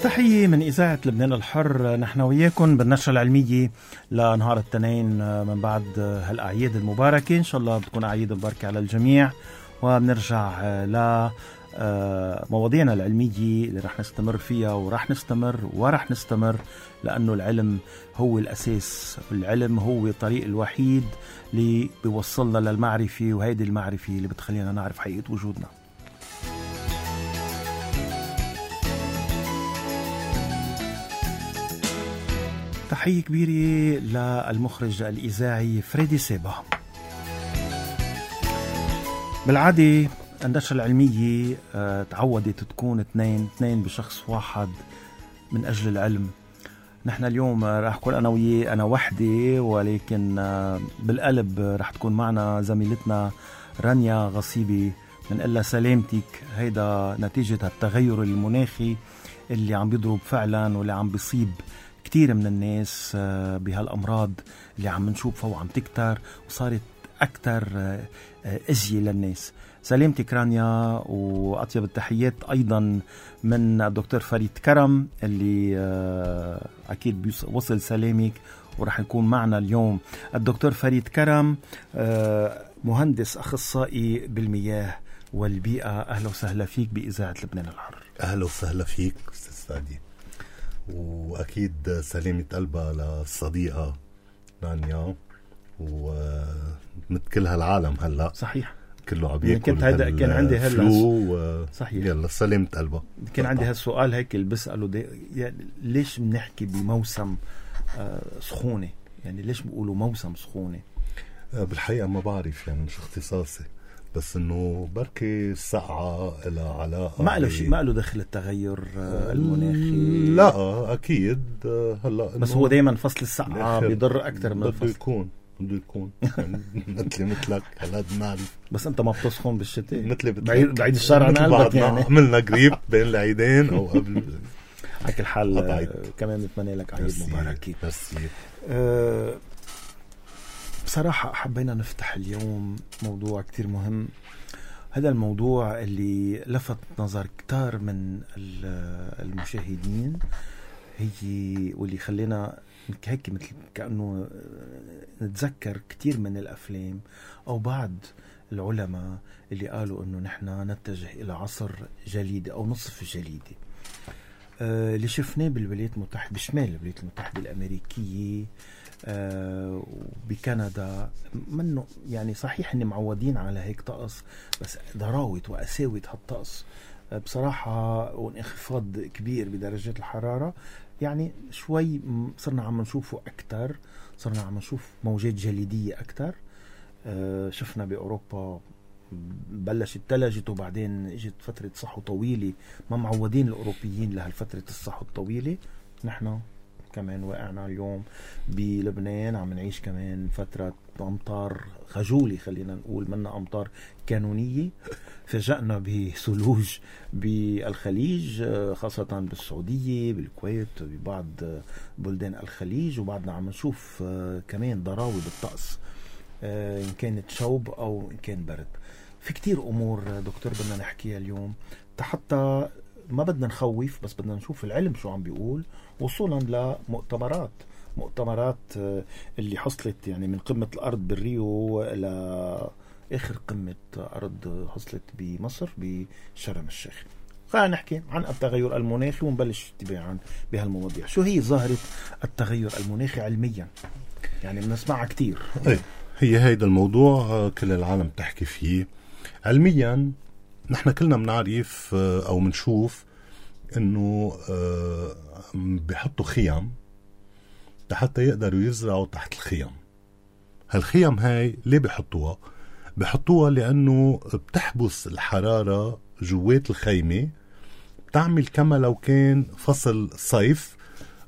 تحية من إذاعة لبنان الحر. نحن وياكم بالنشرة العلمية لنهار الاثنين من بعد هالأعياد المباركة. إن شاء الله بتكون أعياد مباركة على الجميع، وبنرجع لمواضيعنا العلمية اللي رح نستمر فيها ورح نستمر لأنه العلم هو الأساس، العلم هو الطريق الوحيد اللي بيوصلنا للمعرفة، وهيدي المعرفة اللي بتخلينا نعرف حقيقة وجودنا. تحية كبيرة للمخرج الإذاعي فريدي سيبا. بالعادة النشرة العلمية تعودت تكون اثنين بشخص واحد من أجل العلم. نحن اليوم راح أكون أنا وياه، أنا وحدي، ولكن بالقلب راح تكون معنا زميلتنا رانيا غصيبي. من إلا سلامتك، هيدا نتيجة التغير المناخي اللي عم بيضرب فعلا واللي عم بيصيب كتير من الناس بهالأمراض اللي عم نشوفها وعم تكتر وصارت أكتر أزية للناس. سلامتك رانيا، وأطيب التحيات أيضا من الدكتور فريد كرم اللي أكيد وصل سلامك ورح يكون معنا اليوم. الدكتور فريد كرم مهندس أخصائي بالمياه والبيئة. أهلا وسهلا فيك بإذاعة لبنان الحر. أهلا وسهلا فيك أستاذ سادي، وأكيد سلامة قلبها للصديقة رانيا ومثل هالعالم هلأ. صحيح، كله عم ياكل كان عندي هلا صحيح. يلا سلامة قلبها. كان عندي هالسؤال هيك اللي بسأله يعني ليش بنحكي بموسم سخونة؟ يعني ليش بيقولوا موسم سخونة؟ بالحقيقة ما بعرف، يعني مش اختصاصي، بس انه بركي السقعة لها علاقة ما له دخل التغير المناخي. لا اكيد. هلا بس هو دايما فصل السقعة بيضر اكثر من الفصل. بده يكون يعني مثلك هلا نعرف. بس انت ما بتسخن بالشتاء مثلي بعيد الشهر عن قلبك. يعني عملنا قريب بين العيدين او قبل. على كل حال كمان بتمنى لك عيد مبارك. بصراحة حبينا نفتح اليوم موضوع كتير مهم. هذا الموضوع اللي لفت نظر كتار من المشاهدين، هي واللي خلينا هيك مثل كأنه نتذكر كتير من الأفلام أو بعض العلماء اللي قالوا أنه نحن نتجه إلى عصر جليدي أو نصف جليدي. اللي شفناه بالولايات المتحدة، بشمال الولايات المتحدة الأمريكية، بكندا، منه يعني صحيح إني معودين على هيك طقس، بس ضراوة وقساوة هالطقس بصراحة وانخفاض كبير بدرجات الحرارة. يعني شوي صرنا عم نشوفه أكتر، صرنا عم نشوف موجات جليدية أكتر. شفنا بأوروبا بلشت تلجت وبعدين اجت فترة صحو طويلة، ما معودين الأوروبيين لهالفترة الصحو الطويلة. نحن كمان واقعنا اليوم بلبنان عم نعيش كمان فترة أمطار خجولة، خلينا نقول منا أمطار قانونية. فجأنا بثلوج بالخليج، خاصة بالسعودية، بالكويت، ببعض بلدان الخليج، وبعدنا عم نشوف كمان ضراوة بالطقس، إن كانت شوب أو إن كان برد. في كتير أمور دكتور بدنا نحكيها اليوم، حتى ما بدنا نخوف، بس بدنا نشوف العلم شو عم بيقول، وصولا لمؤتمرات اللي حصلت يعني من قمة الأرض بالريو إلى آخر قمة أرض حصلت بمصر بشرم الشيخ. خلينا نحكي عن التغير المناخي ونبلش تباعا بهالمواضيع. شو هي ظاهرة التغير المناخي علميا؟ يعني بنسمعها كتير. هي هيدا الموضوع كل العالم تحكي فيه. علميا نحن كلنا بنعرف أو منشوف إنه بيحطوا خيام حتى يقدروا يزرعوا تحت الخيام. هالخيام هاي ليه بيحطوها لأنه بتحبس الحرارة جوات الخيمة، بتعمل كما لو كان فصل صيف،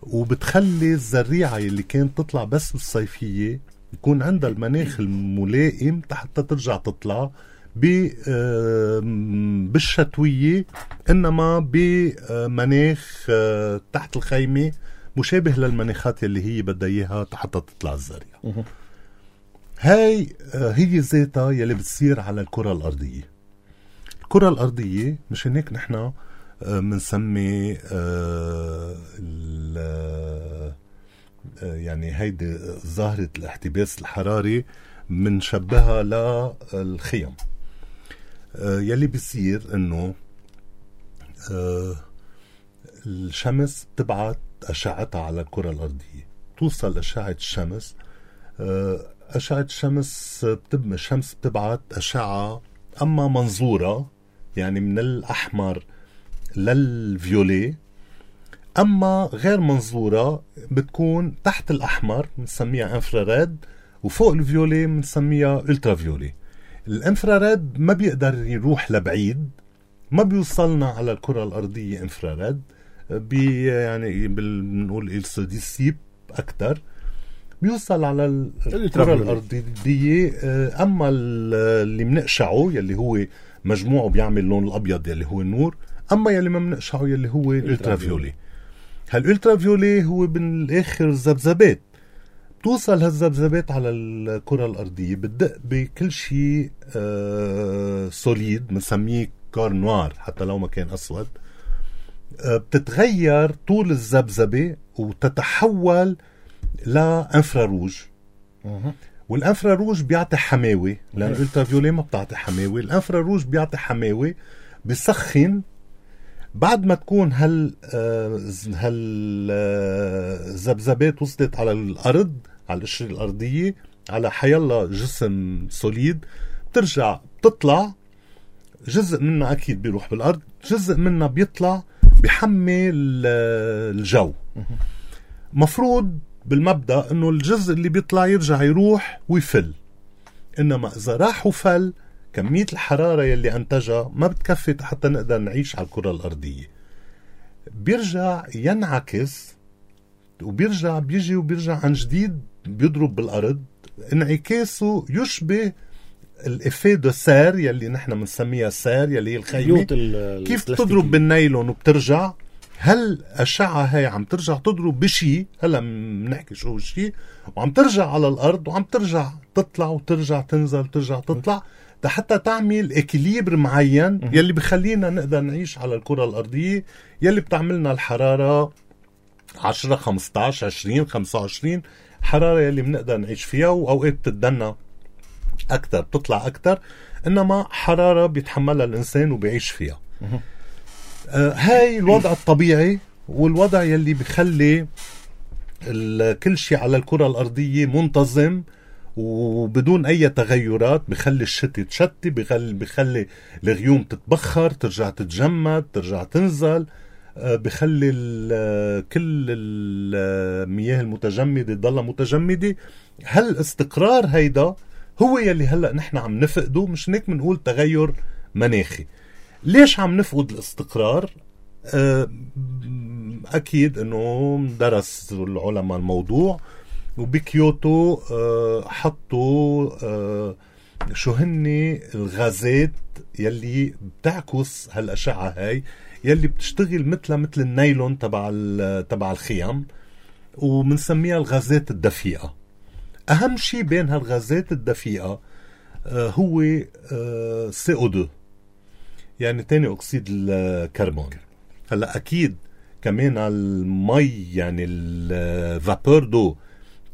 وبتخلي الزريعة اللي كانت تطلع بس بالصيفية يكون عندها المناخ الملائم حتى ترجع تطلع بالشتوية، إنما بمناخ تحت الخيمة مشابه للمناخات اللي هي بدها إياها حتى تطلع الزريعة. هاي هي ذاتها يلي بتصير على الكرة الأرضية. الكرة الأرضية مش هناك نحن منسمي يعني هيدي ظاهرة الاحتباس الحراري منشبهها للخيم. يلي بيصير انه الشمس تبعت أشعتها على الكرة الأرضية، توصل أشعة الشمس. أشعة الشمس الشمس بتبعت أشعة أما منظورة يعني من الأحمر للفيولي، أما غير منظورة بتكون تحت الأحمر بنسميها انفراريد، وفوق الفيولي بنسميها الترافيولي. الانفراريد ما بيقدر يروح لبعيد، ما بيوصلنا على الكرة الأرضية انفراريد، يعني بنقول السوديسيب أكتر، بيوصل على الكرة الأرضية. أما اللي منقشعه يلي هو مجموعه بيعمل لون الأبيض يلي هو النور، أما يلي ما منقشعه يلي هو الالترافيولي. هالالترافيولي هو بالآخر ذبذبات، بتوصل هالذبذبات على الكرة الأرضية، بتدق بكل شيء سوليد بنسميه كار نوار حتى لو ما كان أسود. بتتغير طول الذبذبة وتتحول لانفراروج، والانفراروج بيعطي حماوي، لأن الالترافيولي ما بتعطي حماوي. الانفراروج بيعطي حماوي، بيسخن. بعد ما تكون هالذبذبات وصلت على الأرض، على القشرة الأرضية، على حيالله جسم سوليد، بترجع بتطلع. جزء منها أكيد بيروح بالأرض، جزء منها بيطلع بيحمي الجو. مفروض بالمبدأ أنه الجزء اللي بيطلع يرجع يروح ويفل، إنما إذا راح وفل كمية الحرارة يلي أنتجها ما بتكفي حتى نقدر نعيش على الكرة الأرضية. بيرجع ينعكس وبيرجع بيجي وبيرجع عن جديد بيضرب بالأرض. انعكاسه يشبه الإفيه دو سير يلي نحن منسميها سير، يلي هي الخيمة، كيف تضرب بالنايلون وبترجع. هل أشعة هاي عم ترجع تضرب بشي، هلا منحكي شو الشي، وعم ترجع على الأرض وعم ترجع تطلع وترجع تنزل وترجع تطلع حتى تعمل إكليبر معين يلي بخلينا نقدر نعيش على الكرة الأرضية، يلي بتعملنا الحرارة 10 15 20 25 حرارة يلي بنقدر نعيش فيها، وأوقات بتدنى أكتر بتطلع أكتر، إنما حرارة بيتحملها الإنسان وبيعيش فيها. هاي الوضع الطبيعي، والوضع يلي بخلي كل شيء على الكرة الأرضية منتظم وبدون أي تغيرات. بخلي الشتي تشتي، بخلي الغيوم تتبخر ترجع تتجمد ترجع تنزل، بخلي كل المياه المتجمدة تضلها متجمدة. هالاستقرار هيدا هو يلي هلأ نحن عم نفقده، مش هيك منقول تغير مناخي. ليش عم نفقد الاستقرار؟ أكيد أنه درس العلماء الموضوع، وبكيوتو حطوا شو هني الغازات يلي بتعكس هالأشعة هاي، يلي بتشتغل مثل النايلون تبع الخيام، ومنسميها الغازات الدفيئة. أهم شيء بين هالغازات الدفيئة هو CO2 يعني تاني أكسيد الكربون. هلا أكيد كمان المي يعني الفابور دو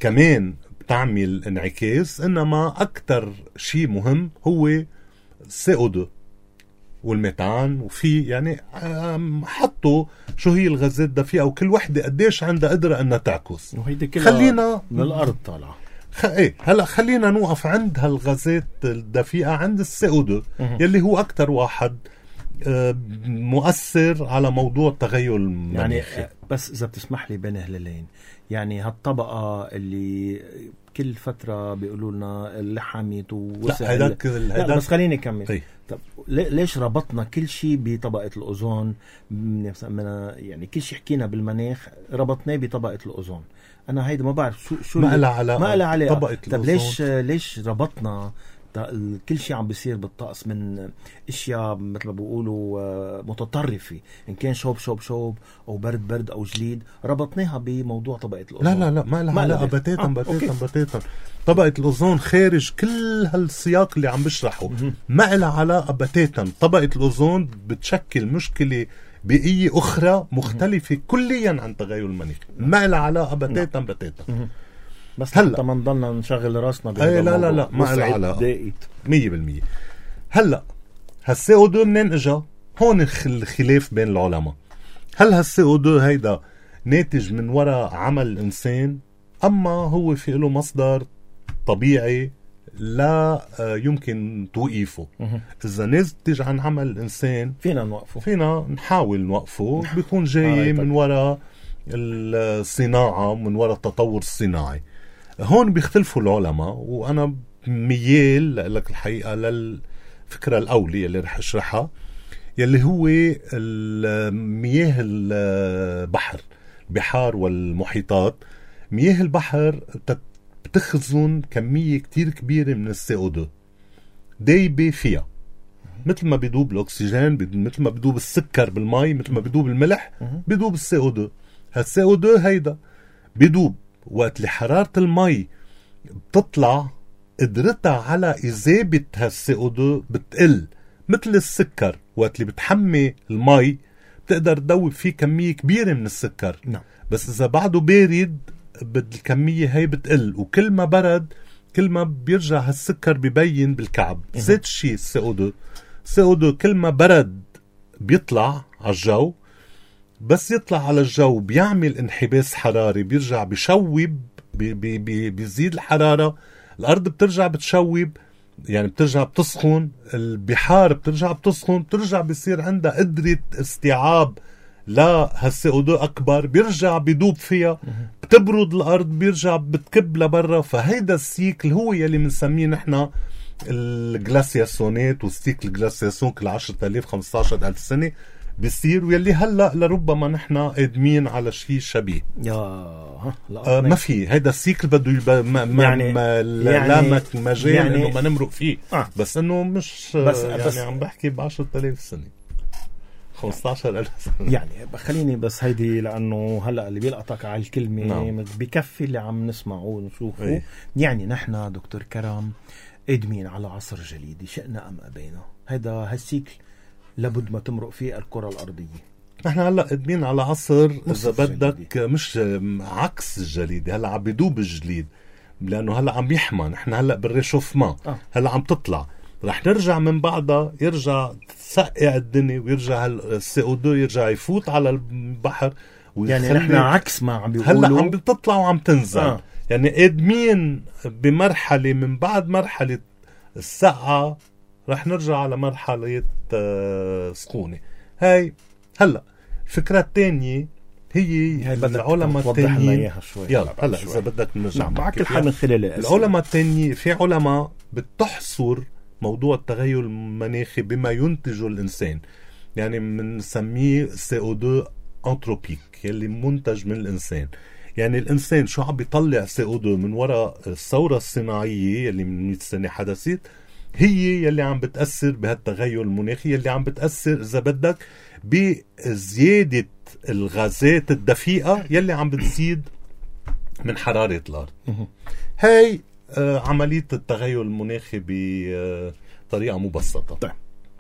كمان بتعمل انعكاس، إنما أكتر شيء مهم هو CO2 والميثان. وفي يعني حطوا شو هي الغازات الدفيئة وكل وحدة قديش عندها قدرة أنها تعكس. خلينا من الأرض طالعة. هلا خلينا نوقف عند هالغازات الدفيئة، عند CO2 يلي هو أكتر واحد مؤثر على موضوع التغير المناخي. يعني بس إذا بتسمح لي بين هلالين، يعني هالطبقة اللي كل فترة بيقولوا لنا اللحمت ووسع. لا بس خليني أكمل. طب ليش ربطنا كل شيء بطبقة الأوزون؟ يعني كل شيء حكينا بالمناخ ربطناه بطبقة الأوزون. أنا هيدا ما بعرف شو ما لها علاقة طبقة طب ليش ربطنا كل شيء عم بيصير بالطقس من اشياء مثل ما بيقولوا متطرفه، ان كان شوب او برد او جليد، ربطناها بموضوع طبقه الاوزون؟ لا ما لها علاقه بتاتا. طبقه الاوزون خارج كل هالسياق اللي عم بشرحه، ما لها علاقه بتاتا. طبقه الاوزون بتشكل مشكله بيئية أخرى مختلفة كليا عن تغير المناخ، ما لها علاقة بتاتا. بس هلا ما نضلنا نشغل راسنا بهذا الموضوع. لا ما لها علاقة 100%. هلا هالCO2 منين اجا؟ هون الخلاف بين العلماء. هل هالCO2 هيدا ناتج من وراء عمل الإنسان، أما هو في له مصدر طبيعي لا يمكن توقيفه؟ إذا ناتج عن عمل الإنسان فينا نوقفه، فينا نحاول نوقفه، بيكون جاي من وراء الصناعة، من وراء التطور الصناعي. هون بيختلفوا العلماء، وأنا ميال لك الحقيقة للفكرة الأولية اللي رح أشرحها، يلي هو مياه البحار والمحيطات. مياه البحر بتخزن كمية كتير كبيرة من الCO2 دايبة فيها، مثل ما بيدوب الأكسجين، مثل ما بيدوب السكر بالماء، مثل ما بيدوب الملح، بيدوب الCO2. هالCO2 هيدا بيدوب وقت اللي حرارة الماء بتطلع، قدرتها على إذابة هالCO2 بتقل. مثل السكر وقت اللي بتحمي الماء بتقدر تدوب فيه كمية كبيرة من السكر، بس إذا بعده بارد الكمية هاي بتقل، وكل ما برد كل ما بيرجع هالسكر بيبين بالكعب. زيت الشيء الCO2 كل ما برد بيطلع على الجو، بس يطلع على الجو بيعمل انحباس حراري، بيرجع بيشوب، بيزيد الحرارة، الأرض بترجع بتشوب، يعني بترجع بتسخن، البحار بترجع بتسخن، بترجع بيصير عندها قدرة استيعاب لهالCO2 أكبر، بيرجع بيدوب فيها، بتبرد الأرض، بيرجع بتكب لبرا. فهيدا السيكل هو يلي منسميه نحن الجلاسياسونات، والسيكل الجلاسياسون كل 10,000 15,000 سنة بيصير، ويلي هلأ لربما نحن قادمين على شيء شبيه. ما في هيدا السيكل بده يعني لا مجال يعني انه ما نمرق فيه. بس انه مش بس عم بحكي ب10,000 سنة 15,000 سنة. يعني خليني بس هيدي، لأنه هلأ اللي بيلقطك على الكلمة بكفي اللي عم نسمعه ونشوفه. يعني نحن دكتور كرم قادمين على عصر جليدي، شئنا أم أبينا. هيدا هالسيكل لابد ما تمرق فيه الكرة الأرضية. نحن هلأ قادمين على عصر إذا بدك مش عكس الجليد، هلأ عم بيدوب الجليد، لأنه هلأ عم يحمى. نحن هلأ بالريشوفمان هلأ عم تطلع، رح نرجع من بعدها يرجع تسقع الدنيا، ويرجع الCO2 يرجع يفوت على البحر. يعني نحن عكس ما عم بيقولوا، هلأ عم بتطلع وعم تنزل. يعني قادمين بمرحلة، من بعد مرحلة السقعة رح نرجع على مرحلة سخونة. هاي هلأ الفكرة الثانية هي العلماء الثانيين. يلا هلأ إذا بدك نرجع معك الحال من خلال العلماء الثانيين. في علماء بتحصر موضوع التغير المناخي بما ينتجه الإنسان، يعني بنسميه CO2 أنتروبيك، يلي منتج من الإنسان. يعني الإنسان شو عم بيطلع CO2 من وراء الثورة الصناعية يلي من 100 سنة حدثت، هي يلي عم بتأثر بهالتغير المناخي، يلي عم بتأثر إذا بدك بزيادة الغازات الدفيئة يلي عم بتزيد من حرارة الأرض. هاي عملية التغير المناخي بطريقة مبسطة. طيب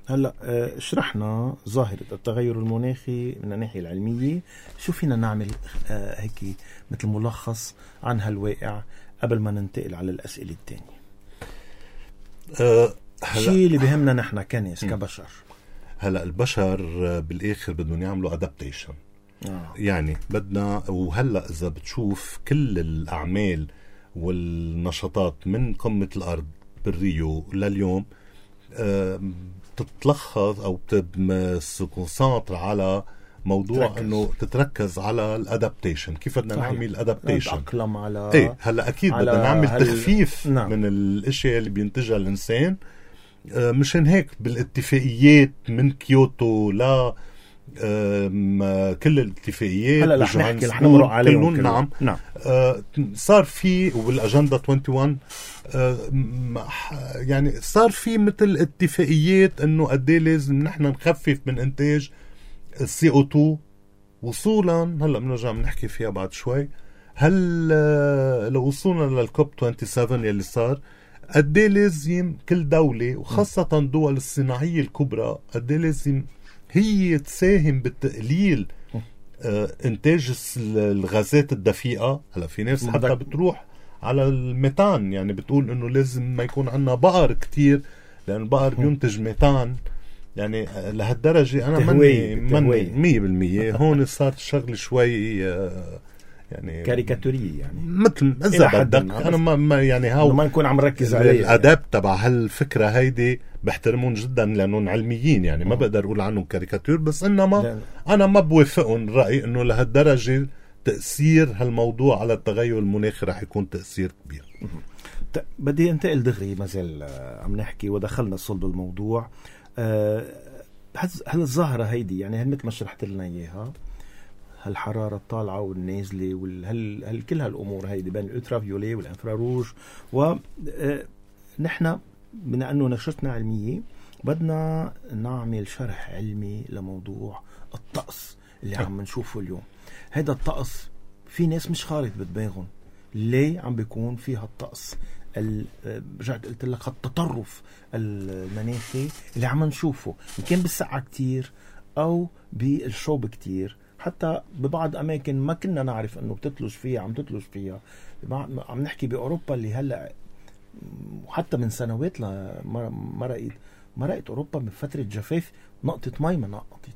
هلأ شرحنا ظاهرة التغير المناخي من الناحية العلمية. شو فينا نعمل هيك مثل ملخص عن هالواقع قبل ما ننتقل على الأسئلة التانية؟ شيء اللي بيهمنا نحن كناس كبشر. هلأ البشر بالآخر بدهم يعملوا أدابتيشن. يعني بدنا، وهلأ إذا بتشوف كل الأعمال والنشاطات من قمة الأرض بالريو لليوم تتلخص أو تكونسنتر على موضوع انه تتركز على الادابتيشن. كيف بدنا نعمل الادابتيشن؟ نتأقلم على هلا اكيد بدنا نعمل تخفيف من الاشياء اللي بينتجها الانسان. مشان هيك بالاتفاقيات من كيوتو لا كل الاتفاقيات هلا رح نمرق عليهم. نعم. صار في وبالاجنده 21 يعني صار في مثل اتفاقيات انه قد ايه لازم نحن نخفف من انتاج CO2 وصولا. هلا بنرجع بنحكي فيها بعد شوي. هل لو وصلنا للكوب 27 يلي صار، قد ايه لازم كل دولة وخاصة الدول الصناعية الكبرى قد ايه لازم هي تساهم بتقليل انتاج الغازات الدفيئة. هلا في ناس حتى بتروح على الميثان، يعني بتقول انه لازم ما يكون عندنا بقر كتير لان البقر بينتج ميثان. يعني لهالدرجة انا مني 100%. هون صارت الشغل شوي يعني كاريكاتورية، يعني مثل اذا بدك انا ما يعني هاو ما نكون عم نركز عليه. الاداب تبع هالفكرة هيدي بحترمون جدا لانهم علميين، يعني ما بقدر اقول عنهم كاريكاتير، بس انما انا ما بوافقهم الرأي انه لهالدرجة تأثير هالموضوع على التغير المناخي رح يكون تأثير كبير. بدي انتقل دغري، ما زال عم نحكي ودخلنا صلب الموضوع. هل الظاهرة هيدي يعني مثل ما شرحت لنا اياها، هالحرارة الطالعة والنازلة هل كل هالأمور هيدي بين الألترافيولي والإنفراروج، ونحن بما أنه نشرتنا علمية بدنا نعمل شرح علمي لموضوع الطقس اللي عم نشوفه اليوم. هيدا الطقس في ناس مش خارج بدماغهم ليه عم بيكون فيها الطقس رجعت قلت لك التطرف المناخي اللي عم نشوفه، إن كان بالسقعة كتير أو بالشوب كتير. حتى ببعض أماكن ما كنا نعرف أنه بتتلج فيها عم تتلج فيها. عم نحكي بأوروبا اللي هلأ وحتى من سنوات مرقت أوروبا من فترة جفاف، نقطة مي ما نقطت.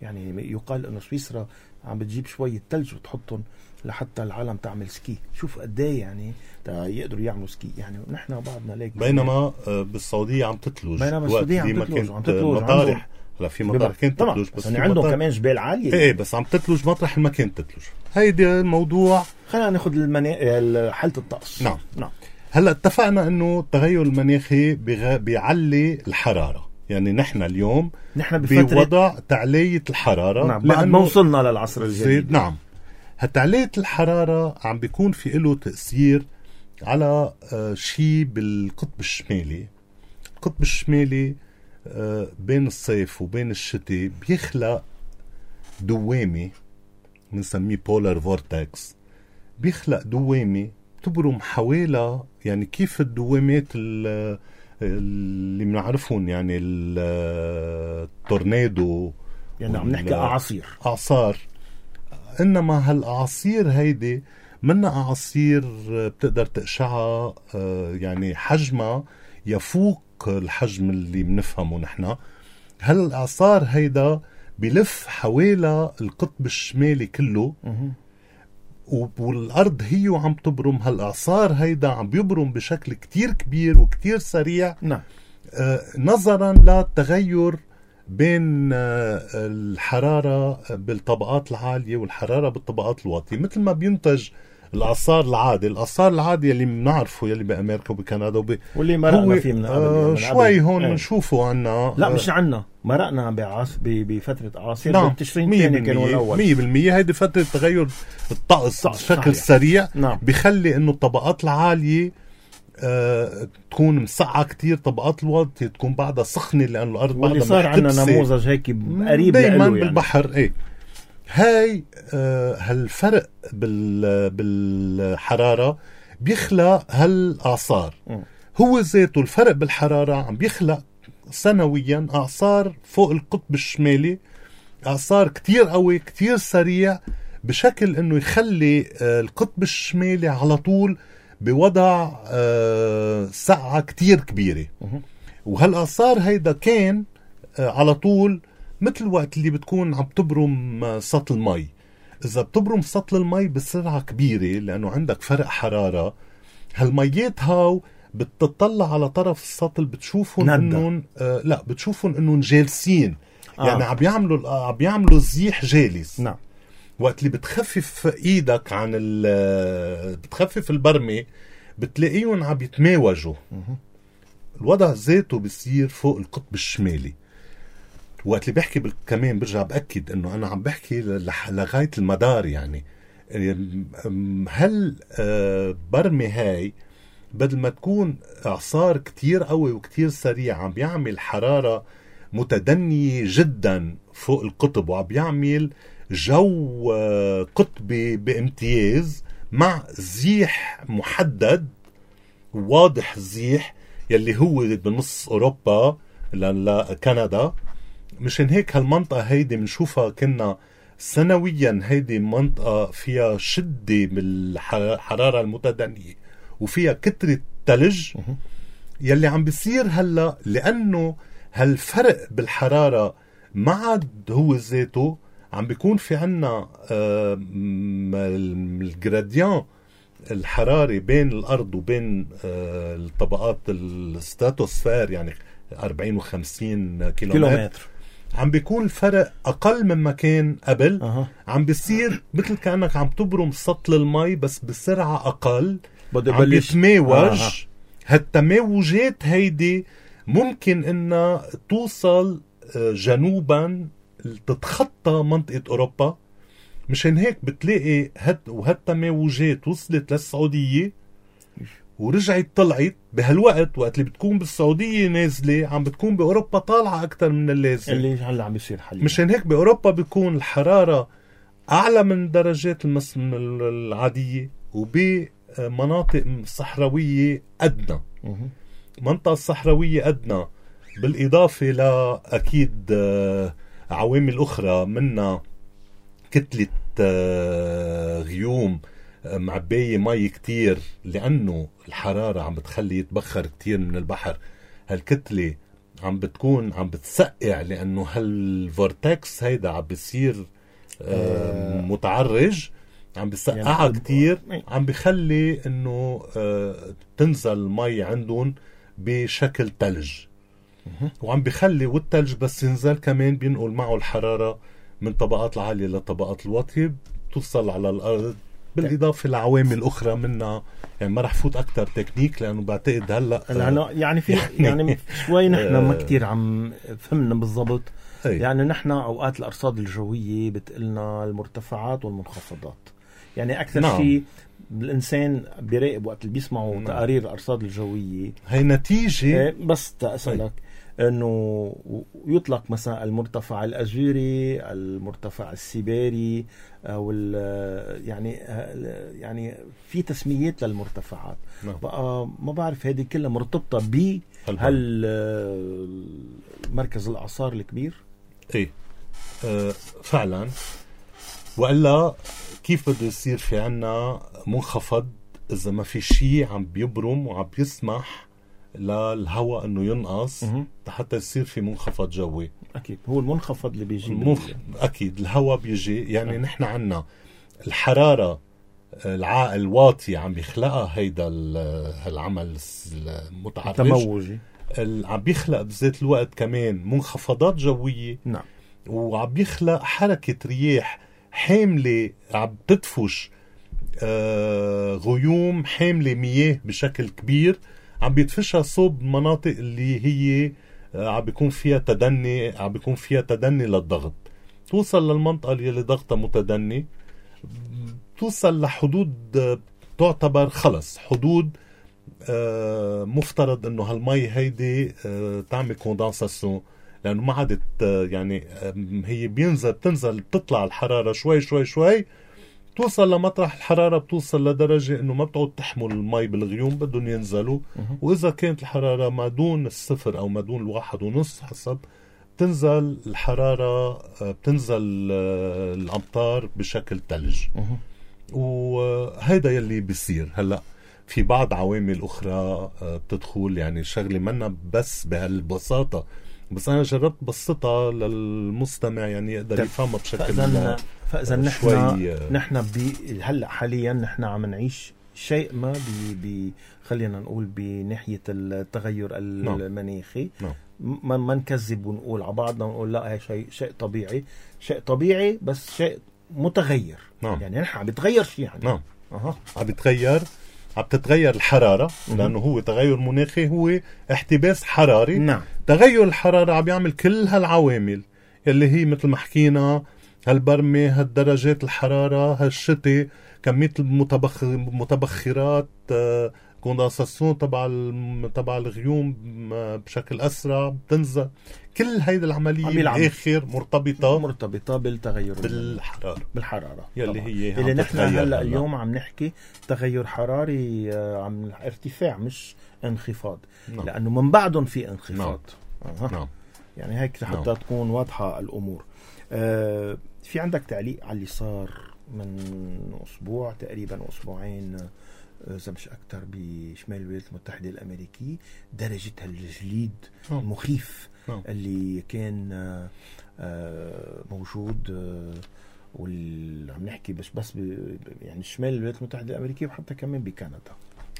يعني يقال أنه سويسرا عم بتجيب شوية تلج وتحطهم لحتى العالم تعمل سكي. شوف قديه يعني يقدروا يعملوا سكي. يعني نحن بعضنا ليك، بينما بالسعودية عم تتلج، بينما السعودية عم تتلج مطارح. هلا في مطارح كانت تتلج بس عندهم كمان جبال عالية. ايه بس عم تتلج مطرح ما كانت تتلج. هيدي الموضوع. خلينا ناخذ حالة الطقس. نعم. هلا اتفقنا انه التغير المناخي بيعلي الحرارة. يعني نحن اليوم بوضع تعلية الحرارة. نعم. بعد ما وصلنا للعصر الجديد. نعم. هالتعلية الحرارة عم بيكون في له تأثير على شيء بالقطب الشمالي. القطب الشمالي بين الصيف وبين الشتاء بيخلق دوامة بنسميه بولار فورتكس. بيخلق دوامة تبرم حوالي، يعني كيف الدوامات اللي بنعرفهم، يعني التورنادو، يعني عم نحكي أعصار. إنما هالأعاصير هيدي منا أعاصير بتقدر تقشعها، يعني حجمها يفوق الحجم اللي بنفهمه نحن. هالأعصار هيدا بلف حوالي القطب الشمالي كله، والأرض هي وعم تبرم. هالأعصار هيدا عم بيبرم بشكل كتير كبير وكتير سريع. نعم. نظرا للتغير بين الحرارة بالطبقات العالية والحرارة بالطبقات الواطية. مثل ما بينتج الأعصار العادي، الأعصار العادي اللي بنعرفه يلي بأمريكا وبكندا واللي مرقنا فيه من قبل شوي هون بنشوفه عنا. لا مش عنا، مرقنا بفترة أعاصير. نعم. بالتشرين الثاني كانوا الأول 100%. هيدي فترة تغير الطقس بشكل سريع. نعم. بيخلي إنه الطبقات العالية تكون مسقعة كتير، طبقات الواطية تكون بعدها سخنة لأن الأرض بعدها محتبسة. واللي صار عنا نموذج هيك قريب دايما بالبحر. يعني. هاي هالفرق بالحرارة بيخلق هالأعصار. هو ذاته الفرق بالحرارة عم بيخلق سنويا أعصار فوق القطب الشمالي، أعصار كتير قوي كتير سريع، بشكل إنه يخلي القطب الشمالي على طول بوضع سقعة كتير كبيرة. وهالأعصار هيدا كان على طول مثل وقت اللي بتكون عم تبرم سطل مي. إذا بتبرم سطل المي بسرعة كبيرة لأنه عندك فرق حرارة، هالميات هاو بتطلع على طرف السطل بتشوفهم إنهم لا بتشوفهم إنهم جالسين. يعني عم بيعملوا زيح جالس. نعم. وقت اللي بتخفف ايدك عن بتخفف البرمة بتلاقيهم عم يتماوجوا. الوضع ذاته بيصير فوق القطب الشمالي. وقت اللي بحكي كمان برجع بأكد انه انا عم بحكي لغاية المدار. يعني هل برمة هاي بدل ما تكون اعصار كتير قوي وكتير سريع عم بيعمل حرارة متدنية جدا فوق القطب وعم بيعمل جو قطبي بامتياز مع زيح محدد واضح، الزيح يلي هو بنص أوروبا لكندا مشان هيك هالمنطقة هيدي منشوفها كنا سنويا، هيدي منطقة فيها شدة بالحرارة المتدنية وفيها كترة تلج. يلي عم بيصير هلأ لأنه هالفرق بالحرارة ما عاد هو ذاته، عم بيكون في عنا الجراديان الحراري بين الأرض وبين الطبقات الستراتوسفير، يعني 40 و50 كيلومتر، عم بيكون الفرق أقل مما كان قبل. عم بيصير مثل كأنك عم تبرم سطل المي بس بسرعة أقل، عم بيتماوج. هالتماوجات هيدي ممكن إنها توصل جنوبا تتخطى منطقة أوروبا. مشان هيك بتلاقي وهالتماوجات وصلت للسعودية ورجعت طلعت بهالوقت، وقت اللي بتكون بالسعودية نازلة عم بتكون بأوروبا طالعة أكتر من اللازم اللي هلا عم بيصير حاليا. مشان هيك بأوروبا بيكون الحرارة أعلى من درجات العادية، وبمناطق صحراوية أدنى. منطقة الصحراوية أدنى، بالإضافة لأكيد عوامل أخرى منها كتلة غيوم معباية مي كتير، لأنه الحرارة عم بتخلي يتبخر كتير من البحر. هالكتلة عم بتكون عم بتسقع، لأنه هالفورتكس هيدا عم بيصير متعرج، عم بيسقعها يعني كتير، عم بيخلي انه تنزل المي عندهم بشكل تلج، وعم بيخلي والتلج بس ينزل كمان بينقل معه الحرارة من طبقات العالية لطبقات الواطية توصل على الأرض، بالإضافة لعوامل أخرى منها. يعني ما رح فوت أكتر تكنيك لأنه بعتقد هلأ يعني في يعني شوي نحن ما كتير عم فهمنا بالضبط. يعني نحن أوقات الأرصاد الجوية بتقلنا المرتفعات والمنخفضات، يعني أكثر شيء الإنسان بيراقب وقت اللي بيسمعوا تقارير الأرصاد الجوية. هي نتيجة بس تأسألك أنه يطلق مثلا المرتفع الأزوري، المرتفع السيبيري، أو يعني في تسميات للمرتفعات. بقى ما بعرف هذه كلها مرتبطة مركز الأعصار الكبير. ايه فعلا، وإلا كيف بده يصير في عنا منخفض إذا ما في شيء عم بيبرم وعم بيسمح للهواء انه ينقص حتى يصير في منخفض جوي. اكيد هو المنخفض اللي بيجي اكيد الهواء بيجي. يعني نحن عنا الحرارة الواطي عم بيخلقها هيدا العمل المتعرج التموجي، عم بيخلق بذات الوقت كمان منخفضات جوية. نعم. وعم بيخلق حركة رياح حاملة عم تدفش غيوم حاملة مياه بشكل كبير، عم بيدفشها صوب مناطق اللي هي عم بيكون فيها تدني للضغط، توصل للمنطقة اللي ضغطها متدني، توصل لحدود تعتبر خلص حدود مفترض انه هالمي هيدي تعمل كوندنساسيون، لانه ما عادت يعني هي بتنزل بتطلع الحرارة شوي شوي شوي، توصل لمطرح الحرارة بتوصل لدرجة انه ما بتعود تحمل المي بالغيوم، بدهم ينزلوا. واذا كانت الحرارة ما دون الصفر او ما دون 1.5 حسب، بتنزل الحرارة، بتنزل الامطار بشكل ثلج. وهيدا يلي بيصير هلأ. في بعض عوامل اخرى بتدخل، يعني شغلة منا بس بهالبساطة، بس انا جربت بسطها للمستمع يعني يقدر يفهمها بشكل فاذا نحن هلا حاليا نحن عم نعيش شيء ما خلينا نقول بناحية التغير المناخي. ما نكذب ونقول على بعضنا ونقول لا هي شيء طبيعي بس شيء متغير. يعني نحن عم بيتغير شيء يعني. عم بتتغير الحرارة، لأنه هو تغير مناخي، هو احتباس حراري. تغير الحرارة عم يعمل كل هالعوامل اللي هي مثل ما حكينا، هالبرمة، هالدرجات الحرارة، هالشتاء، كمية المتبخرات، كوندنساسيون تبع الغيوم بشكل أسرع بتنزل. كل هيدا العملية بالآخر مرتبطة بالتغير بالحرارة يلي هي اللي نحن هلا اليوم عم نحكي تغير حراري عم ارتفاع مش انخفاض. لأنه من بعدهم في انخفاض. نعم. يعني هيك حتى تكون واضحة الأمور. في عندك تعليق على اللي صار من أسبوع تقريبا أسبوعين إذا مش أكتر بشمال الولايات المتحدة الأمريكية، درجة الجليد المخيف اللي كان موجود، عم نحكي بس يعني شمال الولايات المتحدة الأمريكية وحتى كمان بكندا.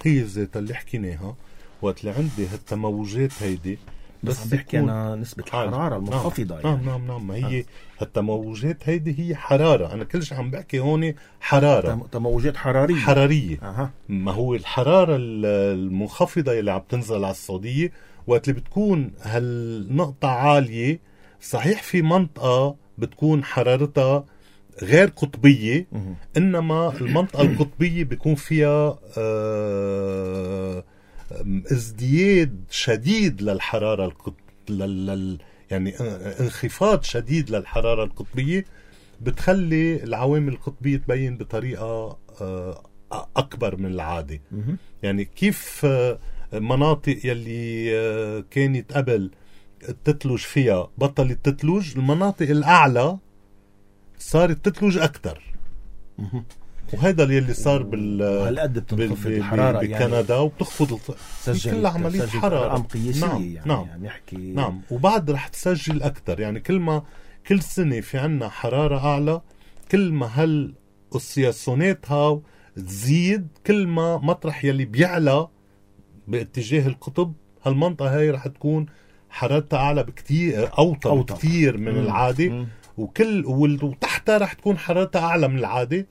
هي ذات اللي حكيناها وقت اللي عندي هالتموجات هيدي، بس عم بحكي أنا نسبة الحرارة المنخفضة. نعم ما هي هالتموجات هيدي هي حرارة. أنا كل شيء عم بحكي هون حرارة، تموجات حرارية. ما هو الحرارة المنخفضة اللي عم تنزل على السعودية وقت اللي بتكون هالنقطة عالية. صحيح في منطقة بتكون حرارتها غير قطبية، إنما المنطقة القطبية بيكون فيها ازدياد شديد للحرارة يعني انخفاض شديد للحرارة القطبية، بتخلي العوامل القطبية تبين بطريقة أكبر من العادة. يعني كيف مناطق يلي كانت قبل تتلج فيها بطلت تتلج، المناطق الأعلى صارت تتلج أكتر. وهذا اللي صار هالقد بتنخفض الحرارة بكندا يعني، وبتخفض كل عملية حرارة قياسية. نعم. نحكي نعم. وبعد رح تسجل أكتر. يعني كل سنة في عنا حرارة أعلى، كل ما هالأسياسونات هاو تزيد، كل ما مطرح يلي بيعلى باتجاه القطب هالمنطقة هاي رح تكون حرارتها أعلى بكتير، أوطى بكتير من العادة. وتحتها رح تكون حرارتها أعلى من العادة.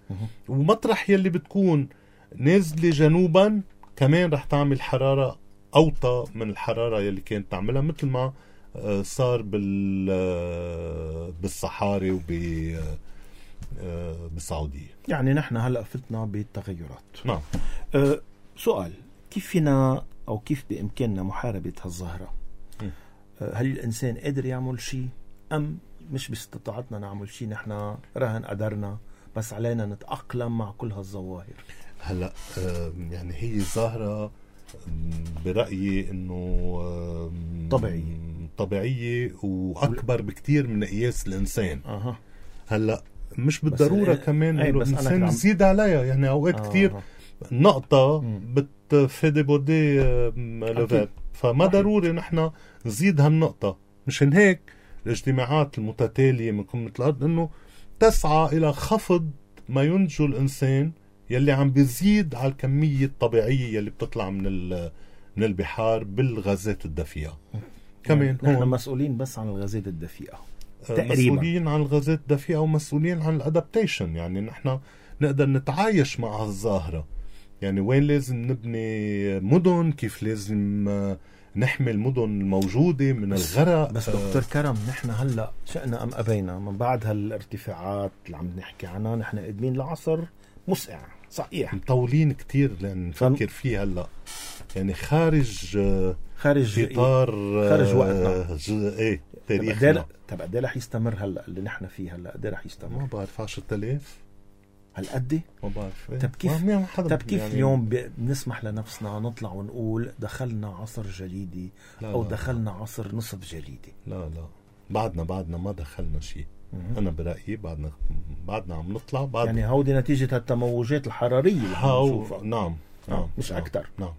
ومطرح يلي بتكون نازلة جنوبا كمان رح تعمل حرارة أوطى من الحرارة يلي كانت تعملها، مثل ما صار بالصحاري بالسعودية. يعني نحن هلأ فتنا بالتغيرات. نعم. سؤال، كيف فينا أو كيف بإمكاننا محاربة هالظاهرة؟ هل الإنسان قادر يعمل شيء أم مش باستطاعتنا نعمل شيء؟ نحن رهن قدرنا، بس علينا نتأقلم مع كل هالظواهر. هلأ يعني هي ظاهرة برأيي إنه طبيعية وأكبر بكتير من قياس الإنسان. هلأ مش بالضرورة كمان إنه الإنسان يزيد عليها. يعني أوقات كتير نقطة بتفيد بودي لفات، فما ضروري نحن نزيد هالنقطة. مشان هيك الاجتماعات المتتالية من قمة الأرض إنه تسعى إلى خفض ما ينتجه الإنسان يلي عم بيزيد على الكمية الطبيعية يلي بتطلع من البحار بالغازات الدفيئة. كمان نحن مسؤولين بس عن الغازات الدفيئة تقريبا، مسؤولين عن الغازات الدفيئة ومسؤولين عن الادابتيشن. يعني نحن نقدر نتعايش مع هالظاهرة. يعني وين لازم نبني مدن، كيف لازم نحمي المدن الموجودة من الغرق. بس دكتور كرم، نحن هلأ شئنا أم أبينا من بعد هالارتفاعات اللي عم نحكي عنها نحن قادمين لعصر مسقع صحيح، مطولين كتير لأن نفكر فيه هلأ. يعني خارج إطار خارج وقتنا. ايه تاريخنا. طب قد ايه رح يستمر هلا اللي نحن فيه هلا؟ قد ايه رح يستمر؟ ما بعرف 10,000 هالقد؟ ما بعرف. طب كيف يعني اليوم بنسمح لنفسنا نطلع ونقول دخلنا عصر جليدي او دخلنا عصر نصف جليدي؟ لا بعدنا ما دخلنا شيء. أنا برأيي بعدنا عم نطلع يعني هودي نتيجة التموجات الحرارية اللي عم نشوفها. نعم مش أكتر. نعم.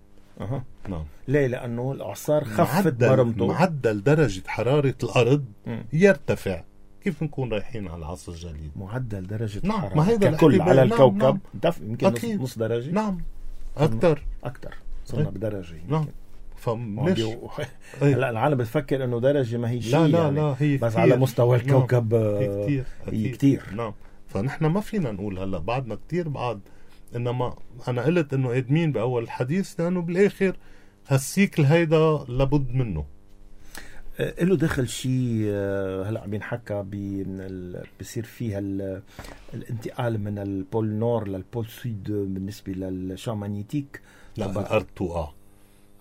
ليه؟ لأنه الإعصار خفت برمته. معدل درجة حرارة الأرض يرتفع. كيف نكون رايحين على العصر الجليدي؟ معدل درجة الحرارة ككل على الكوكب يمكن نص درجة. نعم أكتر صرنا بدرجة. نعم. فمش هلا العالم بتفكر انه درجه ما هي شيء. لا هي بس كتير. على مستوى الكوكب هي كتير. نعم. فنحن ما فينا نقول هلا بعدنا كتير بعد. انما انا قلت انه قادمين باول الحديث لانه بالاخر هالسيكل هيدا لابد منه. له دخل شيء هلا عم ينحكى بصير فيها الانتقال من البول نور للبول سود بالنسبه للشام ماغنيتيك. لا الارض توقع.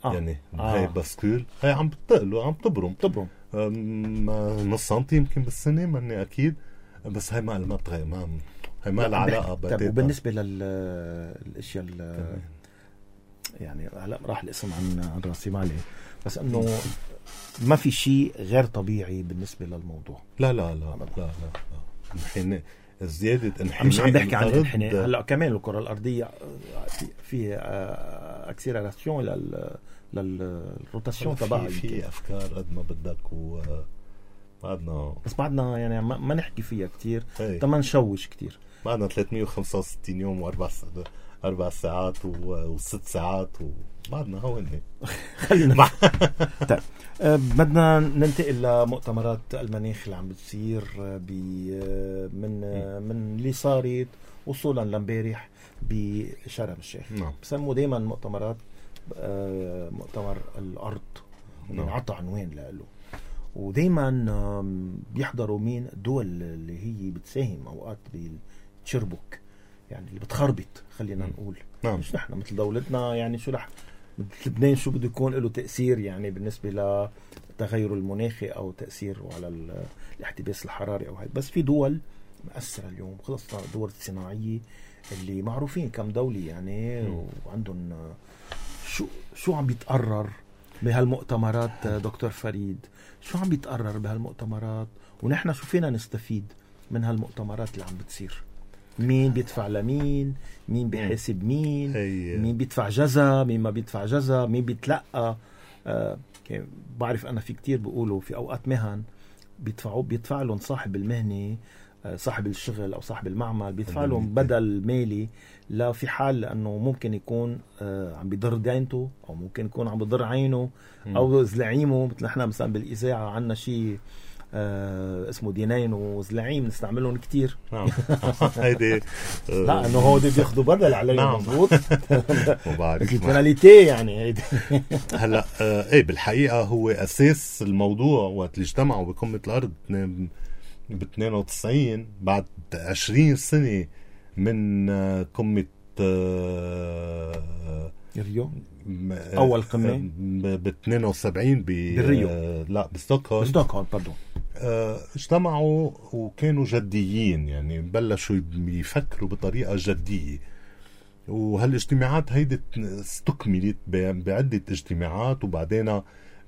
يعني هاي باسكول هاي عم بتقل وعم تبرم نص سنتي يمكن بالسنة، ماني أكيد، بس هاي ما بتغير. هاي ما لها علاقة. طيب وبالنسبة للأشياء يعني هلا راح الاسم عن راسي مالي، بس إنه ما في شيء غير طبيعي بالنسبة للموضوع. لا لا لا لا لا, لا. زيادة انحناء مش عم بحكي عن الانحناء هلا كمان الكرة الأرضية في اكسيلراسيون للروتاسيون تبعها. في أفكار قد ما بدك وبعدنا بس بعدنا يعني ما نحكي فيها كتير ما نشوش كتير. بعدنا 365 يوم و4 ساعات و6 ساعات وبعدنا هون خلينا طيب بدنا ننتقل لمؤتمرات المناخ اللي عم بتصير من اللي صارت وصولا لامبارح بشرم الشيخ. بسموه دايما مؤتمرات مؤتمر الأرض عطى عنوان له، ودايما بيحضروا مين؟ الدول اللي هي بتساهم اوقات بالتشربك، يعني اللي بتخربط خلينا نقول. مش نحن مثل دولتنا يعني شو رح لبنان شو بده يكون له تأثير يعني بالنسبة للتغير المناخي أو تأثيره على الاحتباس الحراري أو هيك. بس في دول مؤثرة اليوم، خلصنا الدول الصناعية اللي معروفين كم دولة يعني وعندهم شو عم بيتقرر بهالمؤتمرات. دكتور فريد شو عم بيتقرر بهالمؤتمرات ونحن شو فينا نستفيد من هالمؤتمرات اللي عم بتصير؟ مين بيدفع لمين؟ مين بيحاسب مين؟ مين بيدفع جزا؟ مين ما بيدفع جزا؟ مين بيتلقى؟ بعرف أنا في كتير بيقولوا في أوقات مهن بيدفع لهم صاحب المهنة، صاحب الشغل أو صاحب المعمل بيدفع لهم بدل مالي لا في حال لأنه ممكن يكون عم بيضر دينته أو ممكن يكون عم بيضر عينه أو زلعيمه. مثل نحن مثلا بالإذاعة عنا شيء اسمه دينين وزلعيم نستعملهم كتير. هيدي لا انه هو بياخذوا بدل عليه. مضبوط. وبعرف البناليتي يعني هيدي. هلا ايه بالحقيقه هو اساس الموضوع وقت اللي اجتمعوا بقمه الارض ب 92 بعد 20 سنه من قمه ريو اول قمه ب 72 بالريو. لا بستوكهولم باردون. اجتمعوا وكانوا جديين، يعني بلشوا يفكروا بطريقة جدية، وهالاجتماعات هيدي استكملت بعدة اجتماعات وبعدين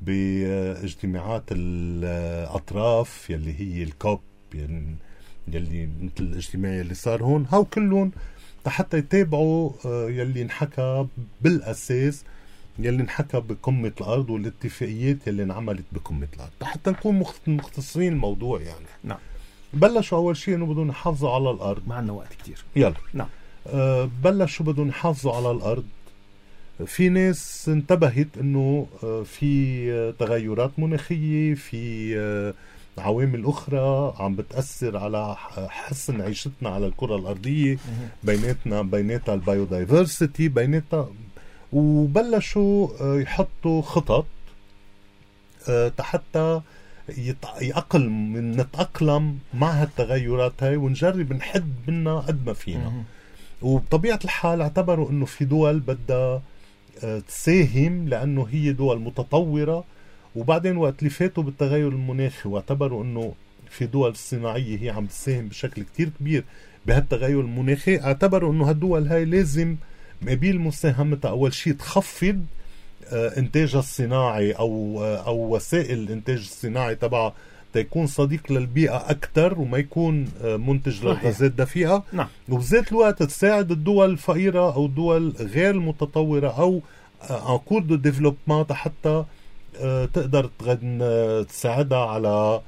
باجتماعات الأطراف يلي هي الكوب يلي مثل الاجتماع يلي صار هون. هاو كلهم حتى يتابعوا يلي انحكى بالأساس يلي انحكى بقمة الأرض والاتفاقيات يلي انعملت بقمة الأرض حتى نكون مختصرين الموضوع يعني. نعم. بلشوا أول شيء إنه بدهم يحافظوا على الأرض. ما عندنا وقت كتير. يلا. نعم. بلشوا بدهم يحافظوا على الأرض. في ناس انتبهت إنه في تغيرات مناخية، في عوامل أخرى عم بتأثر على حسن عيشتنا على الكرة الأرضية، بيناتها البايودايفرسيتي بيناتها، وبلشوا يحطوا خطط حتى نتأقلم مع هالتغيرات هاي ونجرب نحد منها قد ما فينا. وبطبيعة الحال اعتبروا انه في دول بدها تساهم لانه هي دول متطورة، وبعدين وقت اللي فاتوا بالتغير المناخي واعتبروا انه في دول صناعية هي عم تساهم بشكل كتير كبير بهالتغير المناخي، اعتبروا انه هالدول هاي لازم مقابل مساهمتها أول شيء تخفض إنتاجها الصناعي أو وسائل الإنتاج الصناعي تبعها تيكون صديق للبيئة أكتر وما يكون منتج للغازات دفيئة. نعم. وبذات الوقت تساعد الدول الفقيرة أو الدول غير المتطورة أو أنكور دو ديفلوبمنت حتى تقدر تساعدها على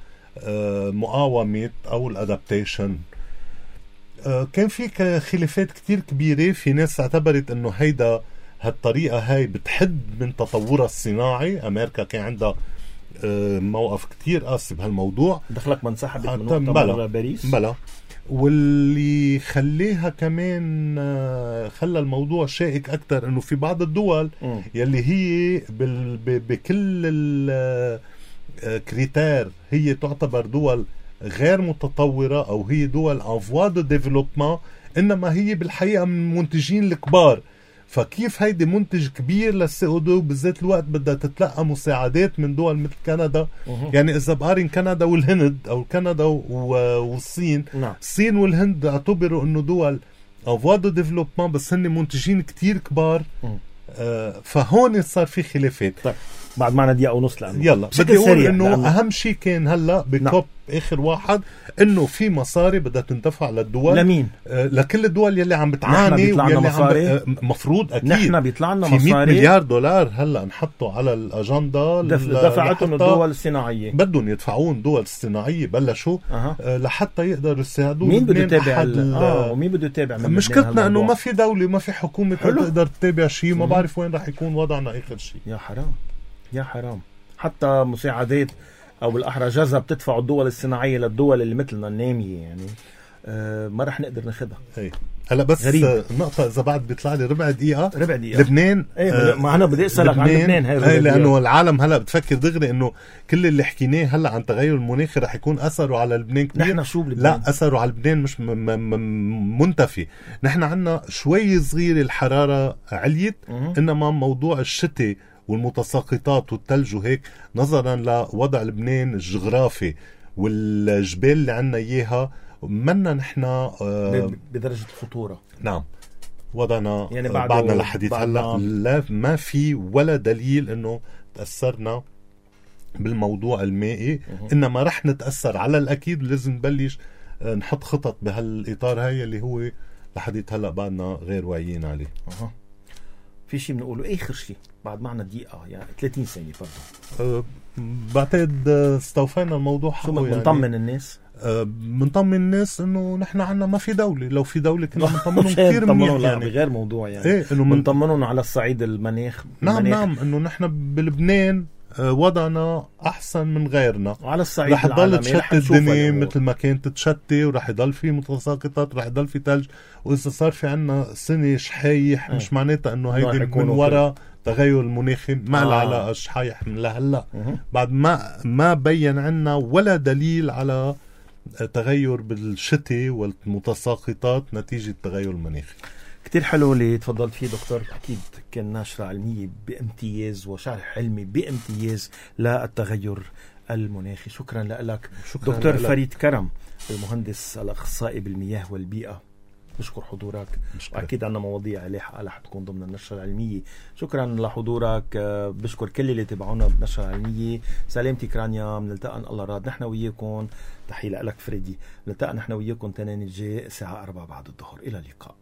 مقاومة أو الأدابتيشن. كان في خلافات كتير كبيرة، في ناس اعتبرت انه هالطريقة هاي بتحد من تطورها الصناعي. امريكا كان عندها موقف كتير قاسي بهالموضوع، دخلك ما انسحبت من مؤتمر باريس. بلا واللي خليها كمان خلى الموضوع شائك اكتر انه في بعض الدول يلي هي بكل الكريتير هي تعتبر دول غير متطورة أو هي دول أنفوا دو ديفلوبمنت، إنما هي بالحقيقة من المنتجين الكبار. فكيف هيدي منتج كبير للسي-او-2 بالذات الوقت بدها تتلقى مساعدات من دول مثل كندا. يعني إذا بقارن كندا والهند أو كندا والصين، الصين والهند اعتبروا إنه دول أنفوا دو ديفلوبمنت بس هن منتجين كتير كبار. فهون صار في خلافات. بعد معنا دقيقة ونص لأنه يلا بشكل بدي أقول سريع إنه لأنه أهم شيء كان هلأ بكوب آخر واحد إنه في مصاري بدها تندفع للدول. لمين؟ لكل الدول يلي عم بتعاني واللي عم مفروض أكيد نحن بيطلع لنا في مصاري 100 مليار دولار هلأ نحطوا على الأجندة دفعتهم الدول الصناعية، بدهم يدفعون دول الصناعية بلشوا لحتى يقدروا يساعدوا. مين بده يتابع ومين بده يتابع؟ مشكلتنا انه ما في دولة ما في حكومة تقدر تتابع شيء. ما بعرف وين رح يكون وضعنا اخر شيء. يا حرام يا حرام. حتى مساعدات او بالاحرى جزا بتدفع الدول الصناعية للدول اللي مثلنا النامية يعني ما رح نقدر ناخدها. هلا بس نقطة إذا بعد بيطلع لي ربع دقيقة. لبنان ما أنا بدي أسألك عن لبنان هاي لأنه العالم هلا بتفكر دغري إنه كل اللي حكيناه هلا عن تغير المناخ رح يكون أثره على لبنان كبير. نحن شو بلبنان؟ لا، أثره على لبنان مش منتفي. نحن عنا شوي صغير الحرارة عليت، إنما موضوع الشتاء والمتساقطات والثلج وهيك نظرا لوضع لبنان الجغرافي والجبال اللي عنا إياها منا نحن بدرجة الخطورة. نعم، وضعنا يعني بعدنا لحديث هلا لا ما في ولا دليل انه تأثرنا بالموضوع المائي، انما رح نتأثر على الاكيد. لازم نبلش نحط خطط بهالاطار هاي اللي هو لحديث هلا بعدنا غير واعيين عليه. في شيء بنقوله اخر شيء بعد معنا دقيقة يعني 30 ثانية برضه. بعتقد استوفينا الموضوع. شو بنطمن يعني الناس؟ بنطمن الناس انه نحن عنا ما في دولة. لو في دولة كنا بنطمنهم كثير منيح يعني. غير موضوع يعني انه بنطمنهم على الصعيد المناخ. نعم انه نحن بلبنان وضعنا احسن من غيرنا. وعلى الصعيد رح تضل تشتي الدنيا مثل ما كانت تشتي، ورح يضل في متساقطات، رح يضل في ثلج. واذا صار في عنا سنة شحايح مش معناتها انه هيدي من وراء تغير المناخي. ما له علاقة شحايح من لهلا. بعد ما بين عنا ولا دليل على تغير بالشتاء والمتساقطات نتيجة تغير المناخي. كتير حلو اللي تفضلت فيه دكتور. أكيد كان نشرة علمية بامتياز وشرح علمي بامتياز للتغير المناخي. شكرا لك دكتور فريد كرم، المهندس الأخصائي بالمياه والبيئة. بشكر حضورك. أكيد عنا مواضيع لاحقة رح تكون ضمن النشرة العلمية. شكرا لحضورك. بشكر كل اللي تابعونا بالنشرة العلمية. سلامتك رانيا. بنلتقى إن الله راد نحن وياكم. تحية لك فريدي. نلتقى نحن وياكم تنين الجاي الساعة 4 بعد الظهر. إلى اللقاء.